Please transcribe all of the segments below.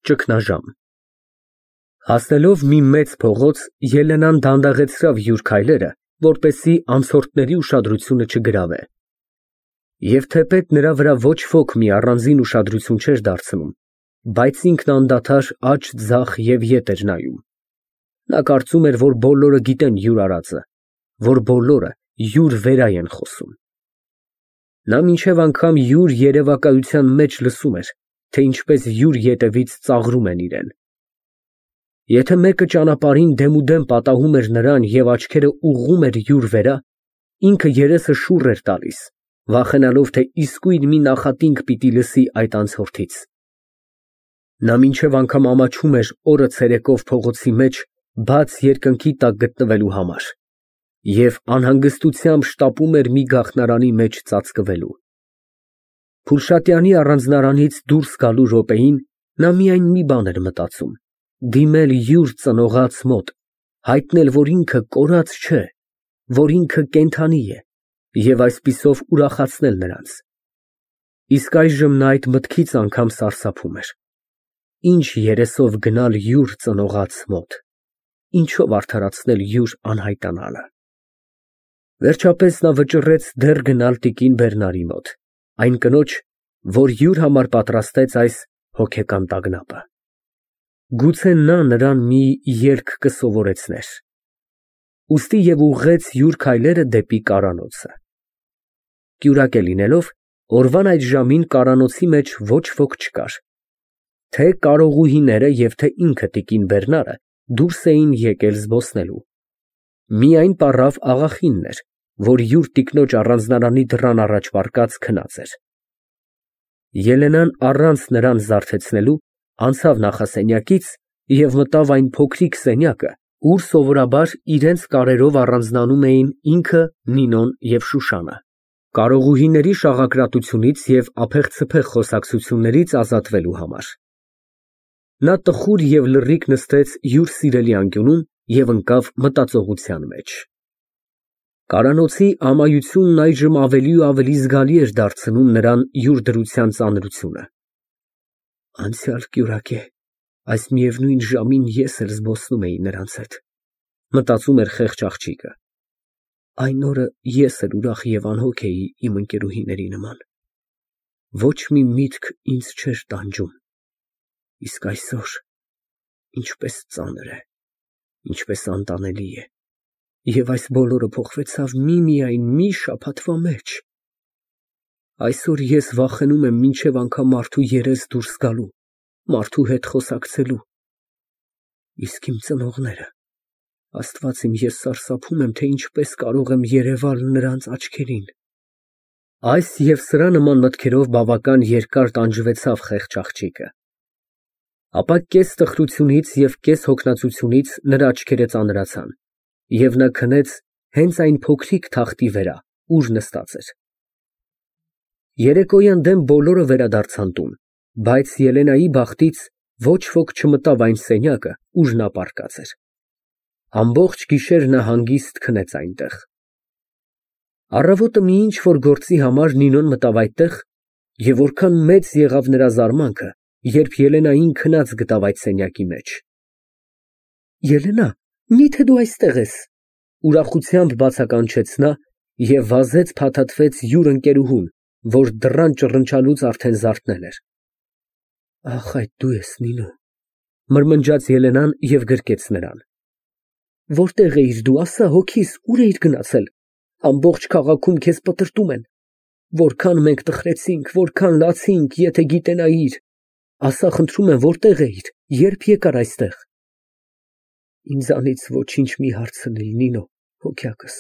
Ճգնաժամ Հասնելով մի մեծ փողոց, Ելենան դանդաղեցրավ յուր քայլերը, որպեսզի անցորդների ուշադրությունը չգրավե։ Եվ թեպետ նրա վրա ոչ ոք մի առանձին ուշադրություն չէր դարձնում, բայց ինքն անդադար աջ ձախ և ետ էր նայում։ Նա կարծում էր, որ բոլորը գիտեն յուր արածը, որ բոլորը յուր վերա են խոսում։ Նա մինչև անգամ յուր երևակայության մեջ լսում էր, թե ինչպես յուր ետևից ծաղրում են իրան։ Եթե մեկը ճանապարհին դեմուդեմ պատահում էր նրան և աչքերը ուղղում էր յուր վերա, ինքը երեսը շուռ էր տալիս, վախենալով, թե իսկույն մի նախատինք պիտի լսի այդ անցորդից։ Նա մինչև անգամ ամաչում էր օրը ցերեկով փողոցի մեջ բաց երկնքի տակ գտնվելու համար և անհանգստությամբ շտապում էր մի գաղթնարանի մեջ ծածկվելու։ Փուլշատյանի առանձնարանից դուրս գալու րոպեին նա միայն մի բան էր մտածում, դիմել յուր ծնողաց մոտ, հայտնել, որ ինքը կորած չէ, որ ինքը կենդանի է և այսպիսով ուրախացնել նրանց։ Իսկ այժմ նա այդ մտքից անգամ սարսափում էր։ Ինչ երեսով գնալ յուր ծնողաց մոտ, ինչով արդարացնել յուր անհայտանալը։ Վերջապես նա վճռեց դեռ գնալ տիկին Բերնարի մոտ, այն կնոջ, որ յուր համար պատրաստեց այս հոգեկան տագնապը։ Գուցե նա նրան մի երգ կսովորեցներ։ Ուստի և ուղղեց յուր քայլերը դեպի կարանոցը։ Կյուրակե լինելով, օրվան այդ ժամին կարանոցի մեջ ոչ ոք չկար։ Թե կարողուհիները և թե ինքը տիկին Բերնարը դուրս էին եկել զբոսնելու։ Միայն պառավ աղախինն էր, որ յուր տիկնոջ առանձնարանի դռան առաջ պառկած քնած էր։ Ելենան առանց նրան զարթեցնելու անցավ նախասենյակից և մտավ այն փոքրիկ սենյակը, ուր սովորաբար իրենց կարերով առանձնանում էին ինքը, Նինոն և Շուշանը, կարողուհիների շաղակրատությունից և ափեղ-ցփեղ խոսակցություններից ազատվելու համար։ Նա տխուր և լռիկ նստեց յուր սիրելի անկյունում և ընկավ մտածողության մեջ։ Կարանոցի ամայությունն այժմ ավելի ու ավելի զգալի էր դարձնում նրան յուր դրության ծանրությունը։ Անցյալ կյուրակե, այս միևնույն ժամին ես էլ զբոսնում էի նրանց հետ, մտածում էր խեղճ աղջիկը։ Այն օրը ես էլ ուրախ և անհոգ էի իմ ընկերուհիների նման։ Ոչ մի միտք ինձ չէր տանջում։ Իսկ այսօր ինչպես ծանր է, ինչպես անտանելի է, և այս բոլորը փոխվեցավ միմիայն մի շաբաթվա մեջ։ Այսօր ես վախենում եմ մինչև անգամ մարդու երես դուրս գալու, մարդու հետ խոսակցելու։ Իսկ իմ ծնողները… Աստված իմ, ես սարսափում եմ, թե ինչպես կարող եմ երևալ նրանց աչքերին։ Այս և սրա նման մտքերով բավական երկար տանջվեցավ խեղճ աղջիկը։ Ապա կես տխրությունից և կես հոգնածությունից նրա աչքերը ծանրացան, և նա քնեց հենց այն փոքրիկ թախտի վրա, ուր նստած էր։ Երեկոյան դեմ բոլորը վերադարձան տուն, բայց Ելենայի բախտից ոչ ոք չմտավ այն սենյակը, ուր նա պառկած էր։ Ամբողջ գիշեր նա հանգիստ քնեց այնտեղ։ Առավոտը մի ինչ֊որ գործի համար Նինոն մտավ այդտեղ, և որքան մեծ եղավ նրա զարմանքը, երբ Ելենային քնած գտավ այդ սենյակի մեջ։ Ելենա, մի՞թե դու այստեղ ես, ուրախությամբ բացականչեց նա և վազեց փաթաթվեց յուր ընկերուհուն, որ դռան ճռնչալուց արդեն զարթնել էր։ Ահ, այդ դու ես, Նինո, մրմնջաց Ելենան և գրկեց նրան։ Որտե՞ղ էիր դու, ասա, հոգիս, ուր էիր գնացել, ամբողջ քաղաքում քեզ պտրտում են, որքան մենք տխրեցինք, որքան լացինք, եթե գիտենայիր, ասա, խնդրում եմ, որտե՞ղ էիր, երբ եկար այստեղ։ Ինձանից ոչինչ մի հարցնիլ, Նինո, հոգյակս,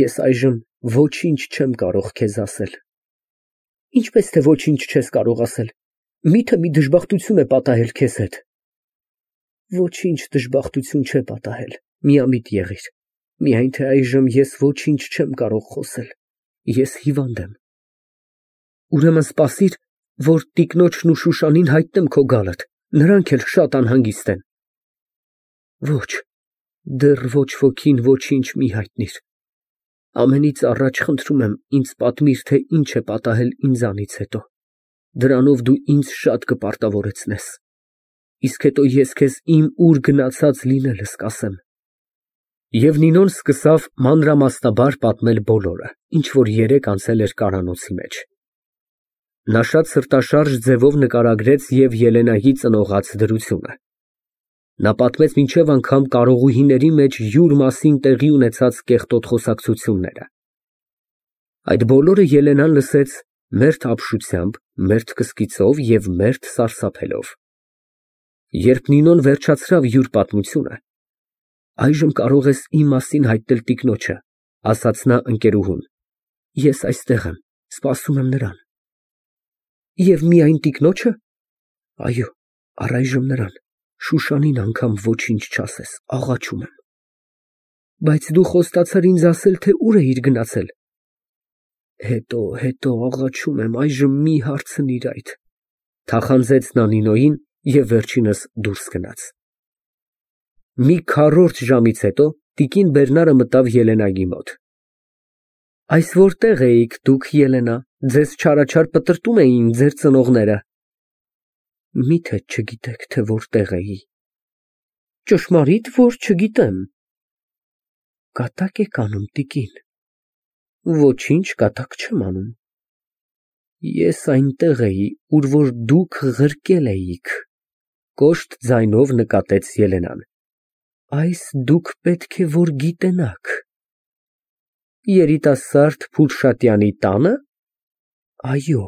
ես այժմ ոչինչ չեմ կարող քեզ ասել։ Ինչպես թե ոչինչ չես կարող ասել, մի՞թե մի դժբախտություն է պատահել քեզ հետ։ Ոչինչ դժբախտություն չէ պատահել, միամիտ եղիր, միայն թե այժմ ես ոչինչ չեմ կարող խոսել, ես հիվանդ եմ։ Ուրեմն սպասիր, որ տիկնոջն ու Շուշանին հայտնեմ քո գալդ, նրանք էլ շատ անհանգիստ են։ Ոչ, դեռ ոչ ոքին ոչինչ մի հայտնիր։ Ամենից առաջ խնդրում եմ, ինձ պատմիր, թե ինչ է պատահել ինձանից հետո, դրանով դու ինձ շատ կպարտավորեցնես։ իսկ հետո ես քեզ իմ ուր գնացած լինելս կասեմ։ Եվ Նինոն սկսավ մանրամասնաբար պատմել բոլորը, ինչ որ երեկ անցել էր կարանոցի մեջ։ Նա շատ սրտաշարժ ձևով նկարագրեց և Ելենայի ծնողաց դրությունը։ Նա պատմեց մինչև անգամ կարողուհիների մեջ յուր մասին տեղի ունեցած կեղտոտ խոսակցությունները։ Այդ բոլորը Ելենան լսեց մերթ ապշությամբ, մերթ կսկիծով և մերթ սարսափելով։ Երբ Նինոն վերջացրավ յուր պատմությունը, այժմ կարող ես իմ մասին հայտնել տիկնոջը, ասաց նա ընկերուհուն, ես այստեղ եմ, սպասում եմ նրան։ Եվ միայն տիկնոջը։ Այո, առայժմ նրան, Շուշանին անգամ ոչինչ չասես, աղաչում եմ։ Բայց դու խոստացար ինձ ասել, թե ուր էիր գնացել։ Հետո աղաչում եմ, այժմ մի հարցնիր այդ, թախանձեց նա Նինոյին և վերջինս դուրս գնաց։ Մի քառորդ ժամից հետո տիկին Բերնարը մտավ Ելենայի մոտ։ Այս որտե՞ղ էիք դուք, Ելենա, ձեզ չարաչար պտրտում էին ձեր ծնողները։ Միթե չգիտեք, թե որտեղ էի։ Ճշմարիտ, որ չգիտեմ։ Կատակ եք անում, տիկին։ Ոչինչ կատակ չեմ անում։ Ես այնտեղ էի, ուր որ դուք ղրկել էիք, կոշտ ձայնով նկատեց Ելենան։ Այս դուք պետք է որ գիտենաք։ Երիտասարդ Փուլշատյանի տանը։ Այո։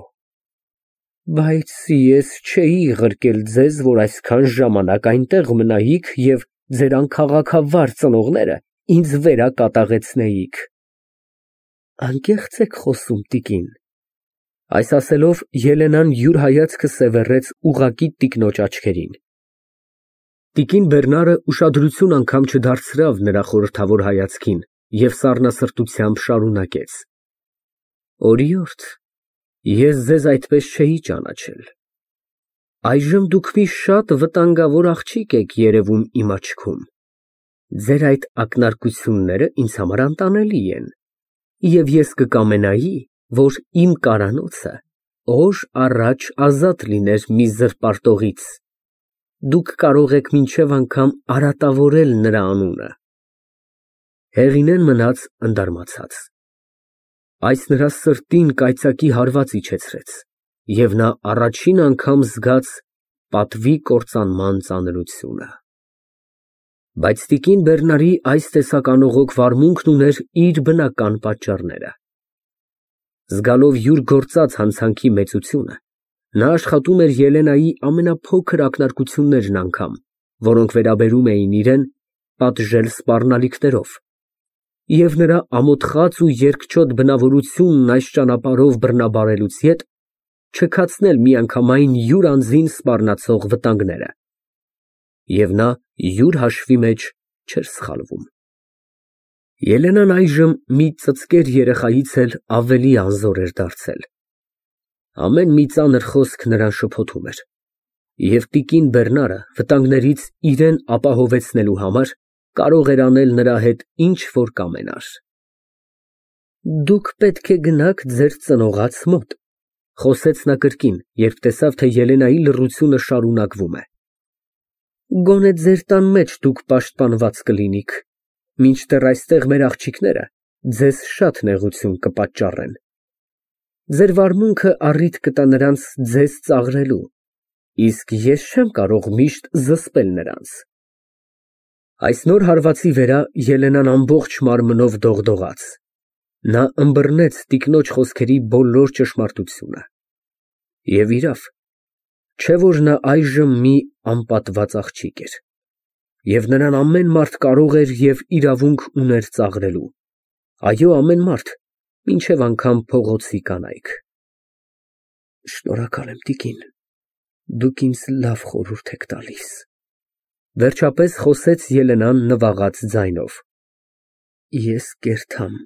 Բայց ես չէի ղրկել ձեզ, որ այսքան ժամանակ այնտեղ մնայիք և ձեր անքաղաքավար ծնողները ինձ վերակատաղեցնեիք։ Անկեղծ եք խոսում, տիկին։ Այս ասելով Ելենան յուր հայացքը սևեռեց ուղղակի տիկնոջ աչքերին։ Տիկին Բերնարը ուշադրություն անգամ չդարձրավ նրա խորհրդավոր հայացքին և սառնասրտությամբ շարունակեց. Օրիորդ, ես ձեզ այդպես չէի ճանաչել։ Այժմ դուք մի շատ վտանգավոր աղջիկ եք երևում իմ աչքում։ Ձեր այդ ակնարկությունները ինձ համար անտանելի են, և ես կկամենայի, որ իմ կարանոցը օր առաջ ազատ լիներ մի զրպարտողից։ Դուք կարող եք մինչև անգամ արատավորել նրա անունը։ Հեղինեն մնաց ընդարմացած։ Այս նրա սրտին կայծակի հարված իջեցրեց, և նա առաջին անգամ զգաց պատվի կործանման ծանրությունը։ Բայց տիկին Բերնարի այս տեսակ անողոք վարմունքն ուներ իր բնական պատճառները։ Զգալով յուր գործած հանցանքի մեծությունը, նա աշխատում էր Ելենայի ամենափոքր ակնարկություններն անգամ, որոնք վերաբերում էին իրեն, պատժել սպառնալիքներով, և նրա ամոթխած ու երկչոտ բնավորությունն այս ճանապարհով բռնաբարելուց ետ չքացնել միանգամայն յուր անձին սպառնացող վտանգները։ Եվ նա յուր հաշվի մեջ չէր սխալվում։ Ելենան այժմ մի ծծկեր երեխայից էլ ավելի անզոր էր դարձել։ Ամեն մի ծանր խոսք նրան շփոթում էր, և տիկին Բերնարը վտանգներից իրեն ապահովեցնելու համար կարող էր անել նրա հետ ինչ որ կամենար։ Դուք պետք է գնաք ձեր ծնողաց մոտ, խոսեց նա կրկին, երբ տեսավ, թե Ելենայի լռությունը շարունակվում է։ Գոնե ձեր տան մեջ դուք պաշտպանված կլինիք, մինչդեռ այստեղ մեր աղջիկները ձեզ շատ նեղություն կպատճառեն։ Ձեր վարմունքը առիթ կտա նրանց ձեզ ծաղրելու, իսկ ես չեմ կարող միշտ զսպել նրանց։ Այս նոր հարվածի վրա Ելենան ամբողջ մարմնով դողդողաց։ Նա ըմբռնեց տիկնոջ խոսքերի բոլոր ճշմարտությունը։ Եվ իրավ, չէ որ նա այժմ մի անպատված աղջիկ էր, և նրան ամեն մարդ կարող էր և իրավունք ուներ ծաղրելու։ Այո, ամեն մարդ, մինչև անգամ փողոցի կանայք։ Շնորհակալ եմ, տիկին, դուք ինձ լավ խորհուրդ եք տալիս, վերջապես խոսեց Ելենան նվաղած ձայնով։ Ես կերթամ,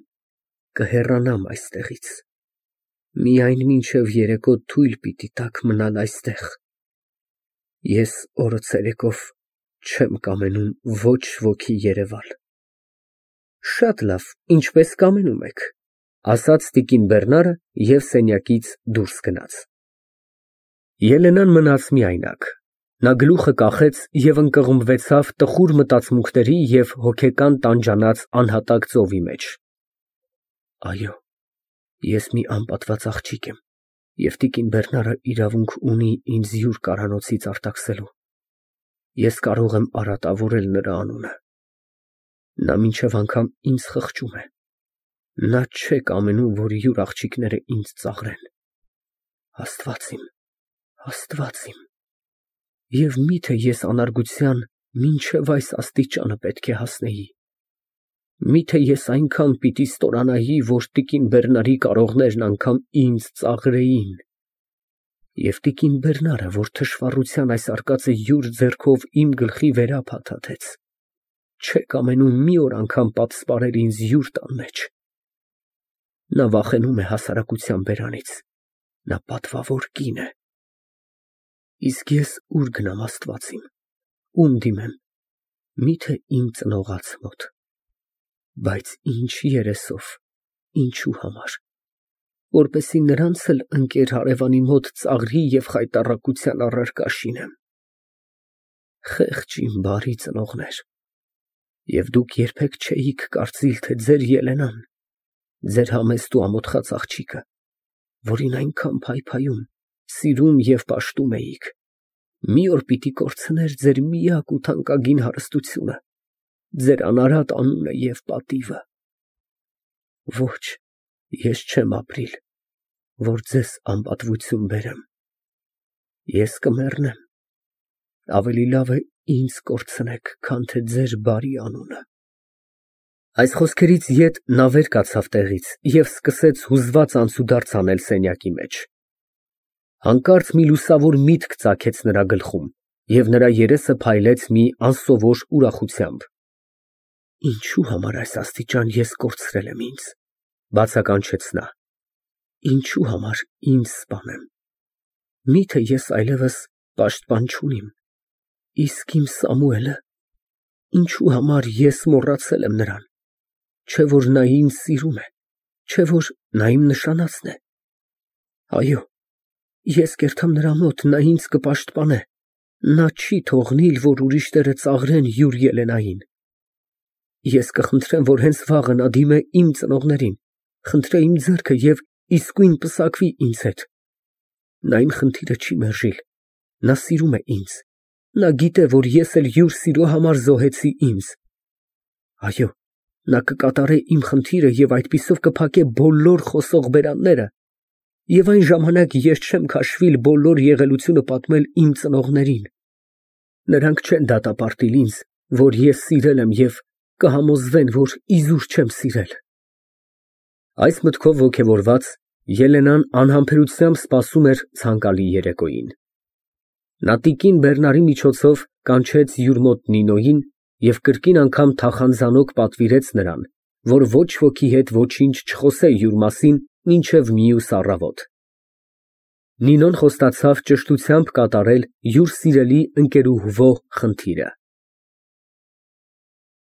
կհեռանամ այստեղից, միայն մինչև երեկո թույլ պիտի տաք մնալ այստեղ։ Ես օրը ցերեկով չեմ կամենում ոչ ոքի երևալ։ Շատ լավ, ինչպես կամենում եք, ասաց տիկին Բերնարը և սենյակից դուրս գնաց։ Ելենան մնաց միայնակ։ Նա գլուխը կախեց և ընկղմվեցավ տխուր մտածմունքների և հոգեկան տանջանած անհատակ ծովի մեջ։ Այո, ես մի անպատված աղջիկ եմ, և տիկին Բերնարը իրավունք ունի ինձ յուր կարանոցից արտաքսելու։ Ես կարող եմ արատավորել նրա անունը։ Նա մինչև անգամ ինձ խղճում է։ Նա չէ կամենում, որ յուր աղջիկները ինձ ծաղրեն։ Աստված իմ, Աստված իմ, և միթե ես անարգության մինչև այս աստիճանը պետք է հասնեի։ Միթե ես այնքան պիտի ստորանայի, որ տիկին Բերնարի կարողներն անգամ ինձ ծաղրեին։ Եվ տիկին Բերնարը, որ թշվառության այս արկածը յուր ձեռքով իմ գլխի վերա փաթաթեց, չէ կամենում մի օր անգամ պատսպարել ինձ յուր տան մեջ։ Նա վախենում է հասարակության բերանից, նա պատվավոր կին է։ Իսկ ես ուր գնամ, Աստված իմ, ում դիմեմ, միթե իմ ծնողաց մոտ։ Բայց ինչ երեսով, ինչու համար, որպեսզի նրանց էլ ընկեր հարևանի մոտ ծաղրի և խայտառակության առարկա շինեմ։ Խեղճ իմ բարի ծնողներ, և դուք երբեք չէիք կարծիլ, թե ձեր Ելենան, ձեր համեստ ու ամոթխած աղջիկը, որին այնքան փայփայում, սիրում և պաշտում էիք, մի օր պիտի կորցներ ձեր միակ ու թանկագին հարստությունը, ձեր անարատ անունը և պատիվը։ Ոչ, ես չեմ ապրիլ, որ ձեզ անպատվություն բերեմ։ Ես կմեռնեմ, ավելի լավ է ինձ կորցնեք, քան թե ձեր բարի անունը։ Այս խոսքերից ետ նա վեր կացավ տեղից և սկսեց հուզված անցուդարձ անել սենյակի մեջ։ Հանկարծ մի լուսավոր միտք ծագեց նրա գլխում, և նրա երեսը փայլեց մի անսովոր ուրախությամբ։ Ինչու համար այս աստիճան ես կորցրել եմ ինձ, բացականչեց նա։ Ինչու համար ինձ սպանեմ։ Միթե ես այլևս պաշտպան չունիմ, իսկ իմ Սամուելը, ինչու համար ես մոռացել եմ նրան, չէ որ նա ինձ սիրում է, չէ որ նա իմ նշանածն է։ Այո, ես կերթամ նրա մոտ, նա ինձ կպաշտպանե, նա չի թողնիլ, որ ուրիշները ծաղրեն յուր Ելենային։ Ես կխնդրեմ, որ հենց վաղը նա դիմե իմ ծնողներին, խնդրե իմ ձեռքը և իսկույն պսակվի ինձ հետ։ Նա իմ խնդիրը չի մերժիլ, նա սիրում է ինձ, նա գիտե, որ ես էլ յուր սիրո համար զոհեցի ինձ։ Այո, նա կկատարե իմ խնդիրը և այդպիսով կփակե բոլոր խոսող բերանները, և այն ժամանակ ես չեմ քաշվիլ բոլոր եղելությունը պատմել իմ ծնողներին։ Նրանք չեն դատապարտել ինձ, որ ես սիրել եմ և կհամոզվեն, որ իզուր չեմ սիրել։ Այս մտքով ոգևորված Ելենան անհամբերությամբ սպասում էր ցանկալի երեկոյին։ Նա տիկին Բերնարի միջոցով կանչեց յուր մոտ Նինոյին և կրկին անգամ թախանձանոք պատվիրեց նրան, որ ոչ ոքի հետ ոչինչ չխոսե յուր մասին մինչև մյուս առավոտ։ Նինոն խոստացավ ճշտությամբ կատարել յուր սիրելի ընկերուհվո խնդիրը։